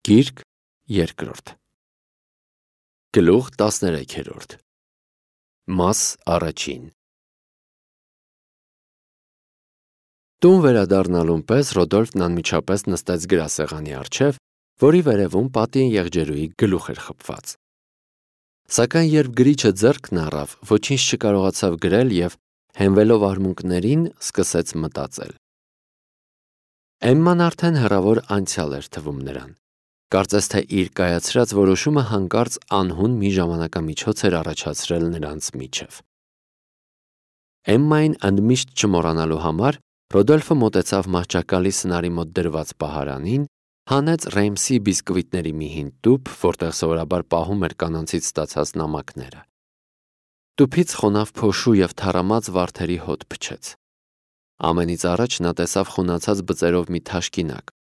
Գիրք երկրորդ Գլուխ 13 Մաս առաջին Տուն վերադառնալուն պես Ռոդոլֆն անմիջապես նստեց գրասեղանի առջև, որի վերևում պատին եղջերուի գլուխ էր խփված։ Սակայն երբ գրիչը ձեռքն առավ, ոչինչ չկարողացավ գրել և հենվելով արմունկներին սկսեց մտածել։ Էմման արդեն հեռավոր անցյալ էր թվում նրան։ Կարծես թե իր կայացրած որոշումը հանկարծ անհուն մի ժամանակամիջոց էր առաջացրել նրանց միջև։ Էմմային ընդմիշտ չմոռանալու համար Ռոդոլֆը մոտեցավ մահճակալի սնարի մոտ դրված պահարանին, հանեց Ռեյմսի բիսկվիտների մի հին տուփ, որտեղ սովորաբար պահում էր կանանցից ստացած նամակները։ Տուփից խոնավ փոշու և թառամած վարդերի հոտ փչեց։ Ամենից առաջ նա տեսավ խունացած բծերով մի թաշկինակ։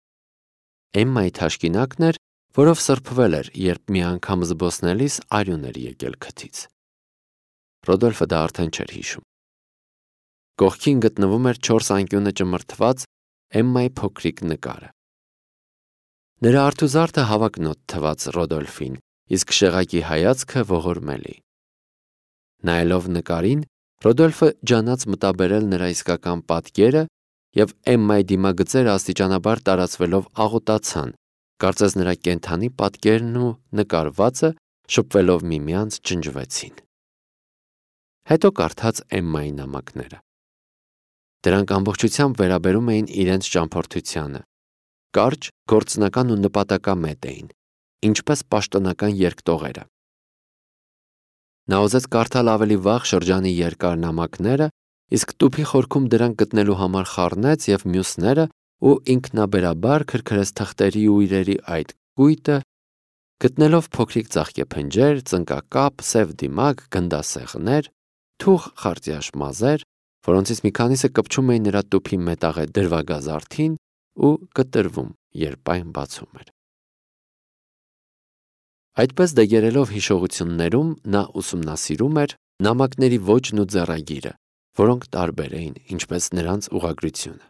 Էմմայի թաշկինակն էր, որով սրբվել էր, երբ մի անգամ զբոսնելիս արյուն էր եկել քթից։ Ռոդոլֆը դա արդեն չէր հիշում։ Կողքին գտնվում էր 4 անկյունը ճմրթված Էմմայի փոքրիկ նկարը։ Նրա արթուզարդը հավակնոտ թվաց Ռոդոլֆին, իսկ շեղակի հայացքը ողորմելի։ Նայելով նկարին, Ռոդոլֆը ջանաց մտաբերել նրա իսկական պատկերը, և Էմմայի դիմագծերը աստիճանաբար տարածվելով աղոտացան, կարծես նրա կենդանի պատկերն ու նկարվածը շփվելով միմյանց ջնջվեցին։ Հետո կարդաց Էմմայի նամակները։ Դրանք ամբողջությամբ վերաբերում էին իրենց ճամփորդությանը։ Կարճ, գործնական ու նպատակամետ էին, ինչպես պաշտոնական երկտողերը։ Նա ուզեց կարդալ ավելի վաղ շրջանի երկար նամակները, իսկ տուփի խորքում դրանք գտնելու համար խառնեց և մյուսները ու ինքնաբերաբար քրքրեց թղթերի ու իրերի այդ կույտը, գտնելով փոքրիկ ծաղկեփնջեր, ծնկակապ, սև դիմակ, գնդասեղներ, թուխ խարտյաշ մազեր, որոնցից մի քանիսը կպչում էին նրա տուփի մետաղե դրվագազարդին ու կտրվում, երբ այն բացում էր։ Այդպես դեգերելով հիշողություններում նա ուսումնասիրում էր նամակների ոճն ու ձեռագիրը, որոնք տարբեր էին, ինչպես նրանց ուղղագրությունը։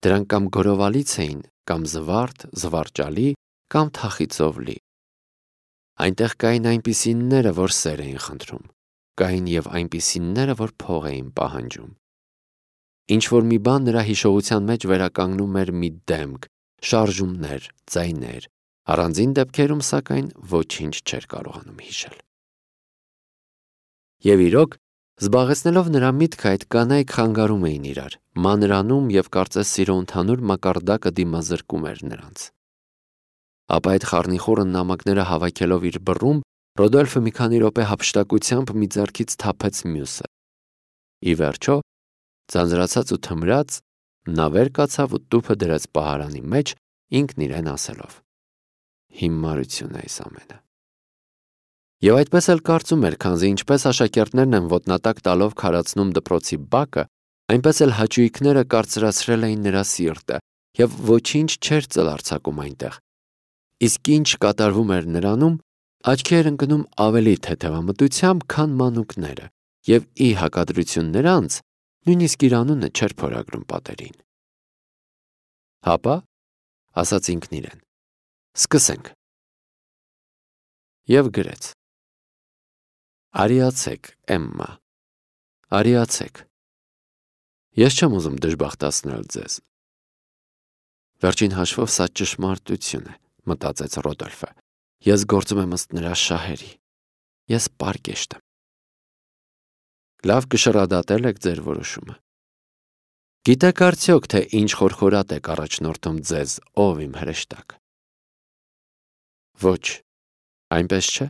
Դրանք կամ գորովալից էին, կամ զվարթ, զվարճալի, կամ թախիծով լի։ Այնտեղ կային այնպիսինները, որ սեր էին խնդրում, կային և այնպիսինները, որ փող էին պահանջում։ Ինչ-որ մի բան նրա հիշողության մեջ վերականգնում էր մի դեմք, շարժումներ, ձայներ, առանձին դեպքերում, սակայն, ոչինչ չէր կարողանում հիշել։ Եվ իրոք, զբաղեցնելով նրա միտքը, այդ կանայք խանգարում էին իրար, մանրանում և կարծես սիրո ընդհանուր մակարդակը դիմազրկում էր նրանց։ Ապա այդ խառնիխուռն նամակները հավաքելով իր բռում, Ռոդոլֆը մի քանի րոպե հափշտակությամբ մի ձեռքից թափեց մյուսը։ Ի վերջո, ձանձրացած ու թմրած, նա վեր կացավ ու տուփը դրեց պահարանի մեջ, ինքն իրեն ասելով. հիմարություն է այս ամենը։ Եվ այդպես էլ կարծում էր, քանզի ինչպես աշակերտներն են ոտնատակ տալով քարացնում դպրոցի բակը, այնպես էլ հաճույքները կարծրացրել էին նրա սիրտը, և ոչինչ չէր ծլարձակում այնտեղ։ Իսկ ինչ կատարվում էր նրանում, աչքի էր ընկնում ավելի թեթևամտությամբ, քան մանուկները, և ի հակադրություն նրանց, նույնիսկ իր անունը չէր փորագրում պատերին։ Հապա, ասաց ինքն իրեն, սկսենք։ Եվ գրեց. Արիացեք, Էմմա, արիացեք։ Ես չեմ ուզում դժբախտացնել ձեզ։ Վերջին հաշվով սա ճշմարտություն է, մտածեց Ռոդոլֆը։ Ես գործում եմ ըստ նրա շահերի։ Ես պարկեշտ եմ։ Լավ կշռադատել եք ձեր որոշումը։ Գիտեք արդյոք, թե ինչ խորխորատ եք առաջնորդում ձեզ, ով իմ հրեշտակ։ Ոչ, այնպես չէ։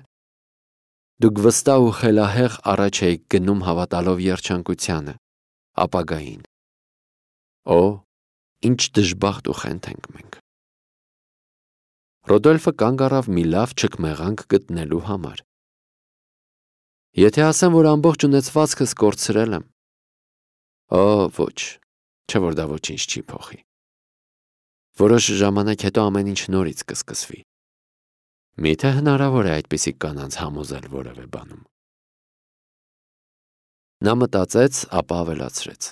Դուք վստահ ու խելահեղ առաջ էիք գնում հավատալով երջանկությանը, ապագային։ Օ, ինչ դժբախտ ու խենթ ենք մենք։ Ռոդոլֆը կանգ առավ մի լավ չքմեղանք գտնելու համար։ Եթե ասեմ, որ ամբողջ ունեցվածքս կորցրել եմ։ Օ, ոչ, չէ որ դա ոչինչ չի փոխի։ Որոշ ժամանակ հետո ամեն ինչ նորից կսկսվի։ Միթե հնարավոր է այդպիսի կանանց համոզել որևէ բանում։ Նա մտածեց, ապա ավելացրեց.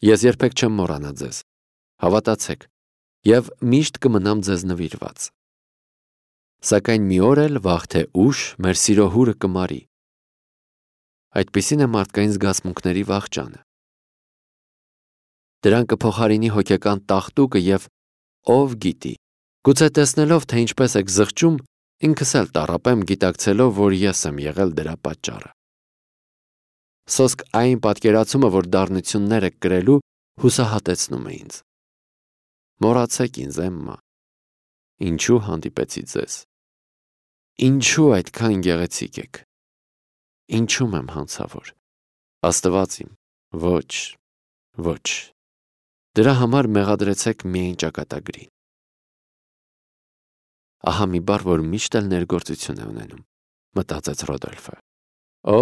Ես երբեք չեմ մոռանա ձեզ։ Հավատացեք, եւ միշտ կմնամ ձեզ նվիրված։ Սակայն մի օր էլ վաղ թե ուշ մեր սիրո հուրը կմարի։ Այդպիսին է մարդկային զգացմունքների վախճանը։ Դրան կփոխարինի հոգեկան տաղտուկը եւ ով գիտի, գուցե տեսնելով, թե ինչպես եք զղջում, ինքս էլ տառապեմ գիտակցելով, որ ես եմ եղել դրա պատճառը։ Սոսկ այն պատկերացումը, որ դառնություններ եք կրելու, հուսահատեցնում է ինձ։ Մոռացեք ինձ, Էմմա։ Ինչու հանդիպեցի ձեզ։ Ինչու այդքան գեղեցիկ եք։ Ինչու եմ հանցավոր։ Աստված իմ, ոչ։ Դրա համար մեղադրեցեք միայն ճակատագրին։ Ահա մի բառ, որ միշտ էլ ներգործություն է ունենում, մտածեց Ռոդոլֆը։ Օ,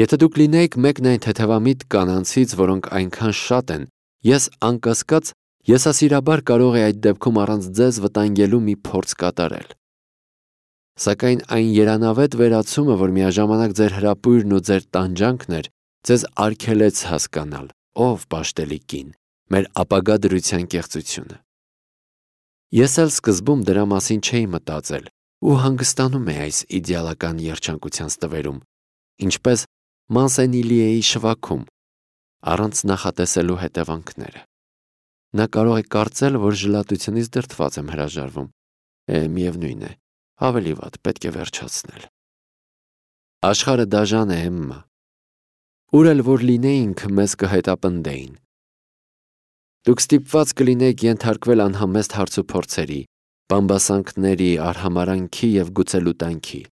եթե դուք լինեիք մեկն այն թեթևամիտ կանանցից, որոնք այնքան շատ են, ես անկասկած եսասիրաբար կարող է այդ դեպքում առանց ձեզ վտանգելու մի փորձ կատարել։ Սակայն այն երանավետ վերացումը, որ միաժամանակ ձեր հրապույրն ու ձեր տանջանքն էր, ձեզ արգելեց հասկանալ, ով պաշտելի կին, մեր ապագա դրության կեղծությունը։ Ես էլ սկզբում դրա մասին չէի մտածել ու հանգստանում էի այս իդեալական երջանկության ստվերում, ինչպես Մանսենիլիեի շվաքում, առանց նախատեսելու հետևանքները։ Նա կարող է կարծել, որ ժլատությունից դրդված եմ հրաժարվում։ Միևնույն է, ավելի վատ պետք է վերջացնել։ Աշխարհը դաժան է, Էմմա։ Ուր էլ որ լինեինք, մեզ կհետապնդեին։ Դուք ստիպված կլինեք ենթարկվել անհամեստ հարցուփորձերի, բամբասանքների, արհամարանքի եւ գուցե լուտանքի։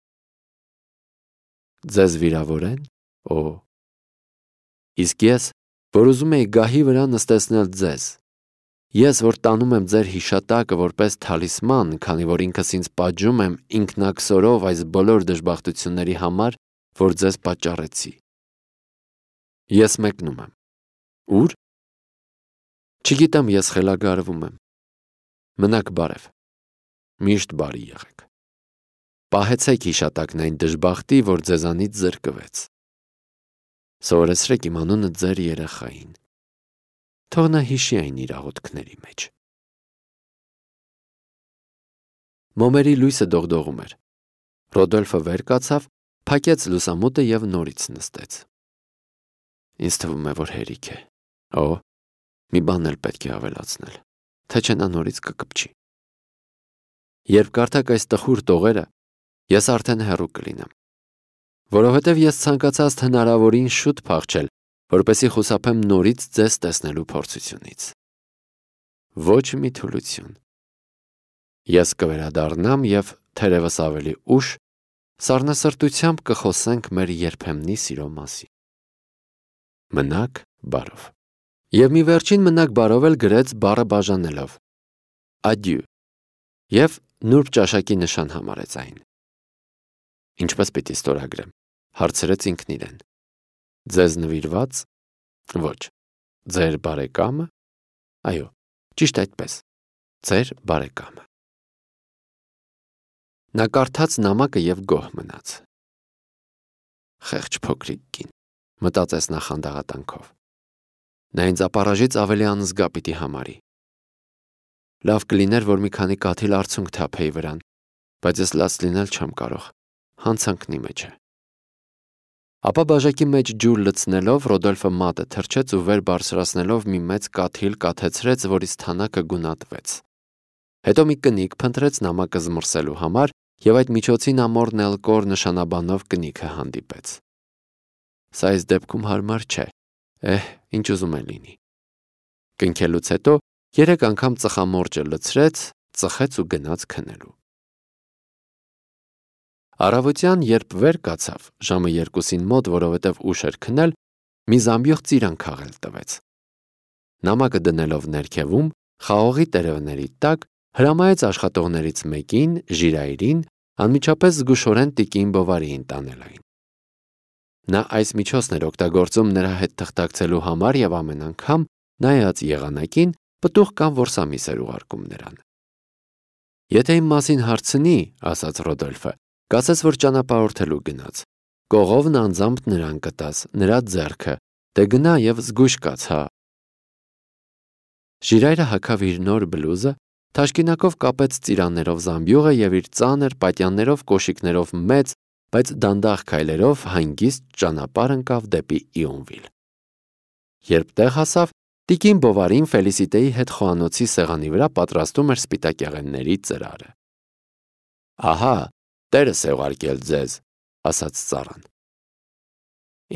Ձեզ վիրավորեն։ Օ։ Իսկ ես, որ ուզում էի գահի վրա նստեցնել ձեզ։ Ես, որ տանում եմ ձեր հիշատակը որպես թալիսման, քանի որ ինքս ինձ պատժում եմ ինքնակսորով այս բոլոր դժբախտությունների համար, որ ձեզ պատճառեցի։ Ես մեկնում եմ։ Ուր։ Չգիտեմ, ես խելագարվում եմ։ Մնաք բարև։ Միշտ բարի եղեք։ Պահեցեք հիշատակն այն դժբախտի, որ ձեզանից զրկվեց։ Սովորեցրեք իմ անունը ձեր երեխային։ Թող նա հիշի այն իր աղոթքների մեջ։ Մոմերի լույսը դողդողում էր։ Ռոդոլֆը վեր կացավ, փակեց լուսամուտը եւ նորից նստեց։ Ինձ թվում է, որ հերիք է։ Օ, մի բան էլ պետք է ավելացնել, թե չէ նա նորից կկպչի։ Երբ կարդաք այս տխուր տողերը, ես արդեն հեռու կլինեմ, որովհետև ես ցանկացած հնարավորին շուտ փախչել, որպեսզի խուսափեմ նորից ձեզ տեսնելու փորձությունից։ Ոչ մի թուլություն։ Ես կվերադառնամ եւ թերևս ավելի ուշ սառնասրտությամբ կխոսենք մեր երբեմնի սիրո մասին։ Մնաք բարով։ Եվ մի վերջին մնաք բարով էլ գրեց բառը բաժանելով։ Adieu։ Եվ նուրբ ճաշակի նշան համարեց այն։ Ինչպես պիտի ստորագրեմ, հարցրեց ինքն իրեն։ Ձեզ նվիրված։ Ոչ։ Ձեր բարեկամը։ Այո, ճիշտ այդպես։ Ձեր բարեկամը։ Նա կարդաց նամակը եւ գոհ մնաց։ Խեղճ փոքրիկ կին, մտածեց նա խանդաղատանքով։ Նա ինձ ապառաժից ավելի անզգա պիտի համարի։ Լավ կլիներ, որ մի քանի կաթիլ արցունք թափեի վրան, բայց ես լաց լինել չեմ կարող, հանցանքնի մեջ է։ Ապա բաժակի մեջ ջուր լցնելով Ռոդոլֆը մատը թրջեց ու վեր բարձրացնելով մի մեծ կաթիլ կաթեցրեց, որից թանակը գունատվեց։ Հետո մի կնիկ փնտրեց նամակը զմռսելու համար եւ այդ միջոցին ամորն էլ կոր նշանաբանով կնիքը հանդիպեց։ Սա այս դեպքում հարմար չէ։ Ինչ ուզում է լինի։ Կնքելուց հետո 3 անգամ ծխամորճը լցրեց, ծխեց ու գնաց քնելու։ Առավոտյան, երբ վեր կացավ, ժամը 2-ին մոտ, որովհետև ուշ էր քնել, մի զամբյուղ ծիրան քաղել տվեց։ Նամակը դնելով ներքևում, խաղողի տերևների տակ, հրամայեց աշխատողներից մեկին, Ժիրայրին, անմիջապես զգուշորեն տիկին Բովարիին տանել այն։ Նա այս միջոցն էր օգտագործում նրա հետ թղթակցելու համար եւ ամեն անգամ, նայած եղանակին, պտուղ կամ որսամիս էր ուղարկում նրան։ Եթե իմ մասին հարցնի, ասաց Ռոդոլֆը, կասես, որ ճանապարհորդելու գնաց։ Կողովն անձամբ նրան կտաս, նրա ձեռքը, դե գնա եւ զգույշ կաց, հա։ Ժիրայրը հագավ իր նոր բլուզը, Թաշկինակով կապեց ծիրաններով զամբյուղը և իր ծանր պատյաններով կոշիկներով մեծ, բայց դանդաղ քայլերով հանգիստ ճանապարհ ընկավ դեպի Իոնվիլ։ Երբ տեղ հասավ, տիկին Բովարին Ֆելիսիտեի հետ խոհանոցի սեղանի վրա պատրաստում էր սպիտակեղենների ծրարը։ «Ահա, տերս է ուղարկել ձեզ», ասաց ծառան։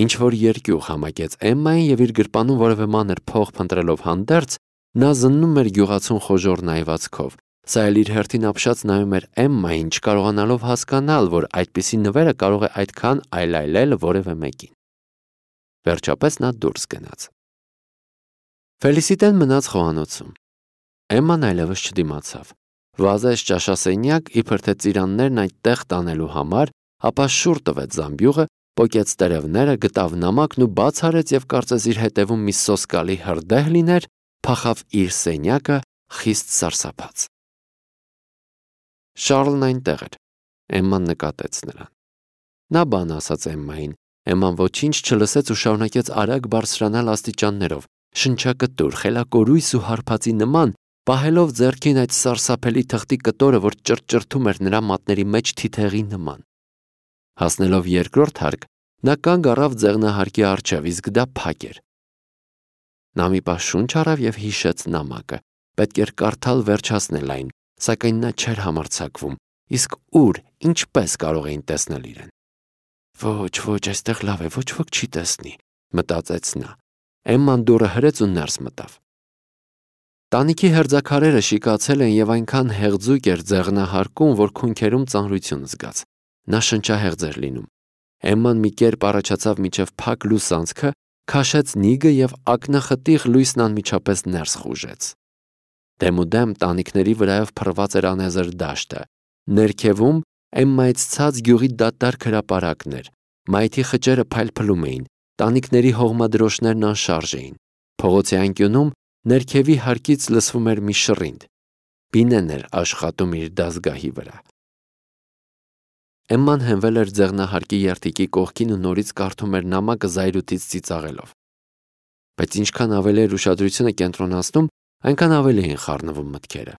Ինչ-որ երկյուղ համակեց Էմմային և իր գրպանում որևէ մանր փող փնտրելով հանդերձ, նա զննում էր գյուղացուն խոժոռ նայվածքով, սա էլ իր հերթին ապշած նայում էր Էմմային, չկարողանալով հասկանալ, որ այդպիսի նվերը կարող է այդքան այլայլել որևէ մեկին։ Վերջապես նա դուրս գնաց։ Ֆելիսիտեն մնաց խոհանոցում։ Էմման այլևս չդիմացավ։ Վազեց ճաշասենյակ, իբր թե ծիրաններն այդտեղ տանելու համար, ապա շուռ տվեց զամբյուղը, պոկեց տերևները, գտավ նամակն ու բաց արեց և կարծես իր հետևում մի սոսկալի հրդեհ լիներ, փախավ իր սենյակը խիստ սարսափած։ Շառլն այնտեղ էր։ Էմման նկատեց նրան։ Նա բան ասաց Էմմային։ Էմման ոչինչ չլսեց ու շարունակեց արագ բարձրանալ աստիճաններով, շնչակտուր, խելակորույս ու հարբածի նման, պահելով ձեռքին այդ սարսափելի թղթի կտորը, որ ճրճրթում էր նրա մատների մեջ թիթեղի նման։ Հասնելով երկրորդ հարկ, նա կանգ առավ ձեղնահարկի առջև, իսկ դա փակ էր։ Նա մի պահ շունչ առավ և հիշեց նամակը։ Պետք էր կարդալ վերջացնել այն, սակայն նա չէր համարձակվում։ Իսկ ուր, ինչպես կարող էին տեսնել իրեն։ Ոչ, այստեղ լավ է, ոչ ոք չի տեսնի, մտածեց նա։ Էմման դուռը հրեց ու ներս մտավ։ Տանիքի հերձաքարերը շիկացել են և այնքան հեղձուկ էր ձեղնահարկում, որ քունքերում ծանրություն զգաց։ Նա շնչահեղձ էր լինում։ Էմման մի կերպ առաջացավ մինչև փակ լուսանցքը, քաշեց նիգը և ակնախտիղ լույսն անմիջապես ներս խուժեց։ Դեմուդեմ տանիքների վրայով փռված էր անեզր դաշտը։ Ներքևում Էմմայից ցած գյուղի դատարկ հրապարակն էր։ Մայթի խճերը փայլփլում էին, տանիքների հողմադրոշներն անշարժ էին։ Փողոցի անկյունում ներքևի հարկից լսվում էր մի շռինդ։ Բինեն էր աշխատում իր դազգահի վրա։ Էմման հենվել էր ձեղնահարկի երթիկի կողքին ու նորից կարդում էր նամակը զայրույթից ծիծաղելով։ Բայց ինչքան ավելի էր ուշադրությունը կենտրոնացնում, այնքան ավելի էին խառնվում մտքերը։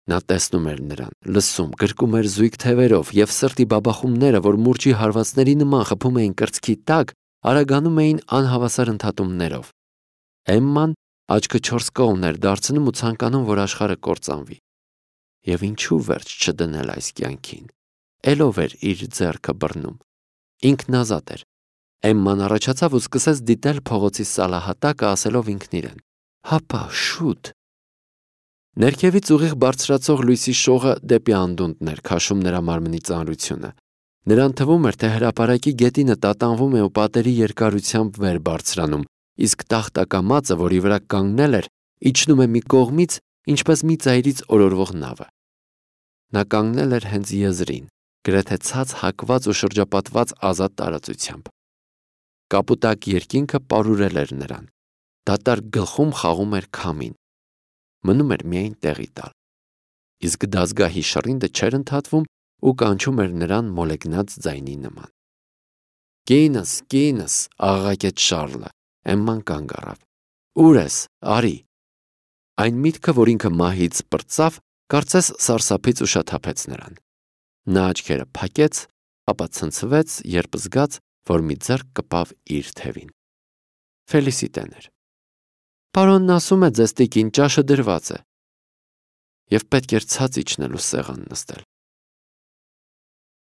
Նա տեսնում էր նրան, լսում, գրկում էր զույգ թևերով և սրտի բաբախումները, որ մուրճի հարվածների նման խփում էին կրծքի տակ, արագանում էին անհավասար ընդհատումներով։ Էմման աչքը չորս կողմն էր դարձնում ու ցանկանում, որ աշխարհը կործանվի։ Եվ ինչու վերջ չդնել այս կյանքին։ Էլով էր իր ձեռքը բռնում։ Ինքն ազատ էր։ Էմման առաջացավ ու սկսեց դիտել փողոցի սալահատակը, ասելով ինքն իրեն. «Հապա, շուտ»։ Ներքևից ուղիղ բարձրացող լույսի շողը դեպի անդունդն էր քաշում նրա մարմնի ծանրությունը։ Նրան թվում էր, թե հրապարակի գետինը տատանվում է ու պատերի երկարությամբ վեր բարձրանում, իսկ տախտակամածը, որի վրա կանգնել էր, իջնում է մի կողմից, ինչպես մի ծայրից օրորվող նավը։ Նա կանգնել էր հենց եզրին, գրեթե ցած հակված ու շրջապատված ազատ տարածությամբ։ Կապուտակ երկինքը պարուրել էր նրան։ Դատարկ գլխում խաղում էր քամին։ Մնում էր միայն տեղի տալ։ Իսկ դազգահի շռինդը չէր ընդհատվում ու կանչում էր նրան մոլեգնած ձայնի նման։ Կինս, աղաղակեց Շառլը։ Էմման կանգ առավ։ Ուր ես, արի։ Այն միտքը, որ ինքը մահից պրծավ, կարծես սարսափից ուշաթափեց նրան։ Նա աչքերը փակեց, ապա ցնցվեց, երբ զգաց, որ մի ձեռք կպավ իր թևին։ Ֆելիսիտեն էր։ Պարոնն ասում է ձեզ տիկին, ճաշը դրված է։ Եվ պետք էր ցած իջնել ու սեղան նստել։